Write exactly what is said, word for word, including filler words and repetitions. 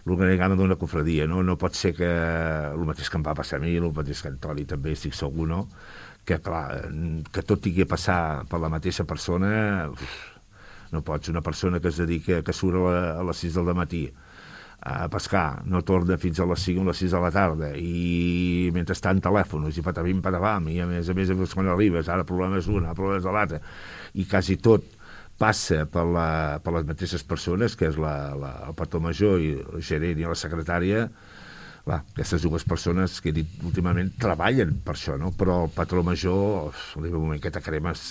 l'organigrama d'una cofradia, no? No pot ser que el mateix que em va passar a mi, el mateix que Antoni també, estic segur, no? Que, clar, que tot tingui a passar per la mateixa persona, uf, no pots. Una persona que es dedica, que surt a, la, a les sis del matí a pescar, no torna fins a les cinc o les sis de la tarda, i mentrestant telèfons, i patavim, patavam, i a més a més, quan arribes, ara problemes una, problemes de l'altra, i quasi tot passa per, la, per les mateixes persones, que és la, la, el patró major i el gerent i la secretària. Clar, aquestes dues persones que he dit últimament treballen per això, no? Però el patró major, arriba un moment que te cremes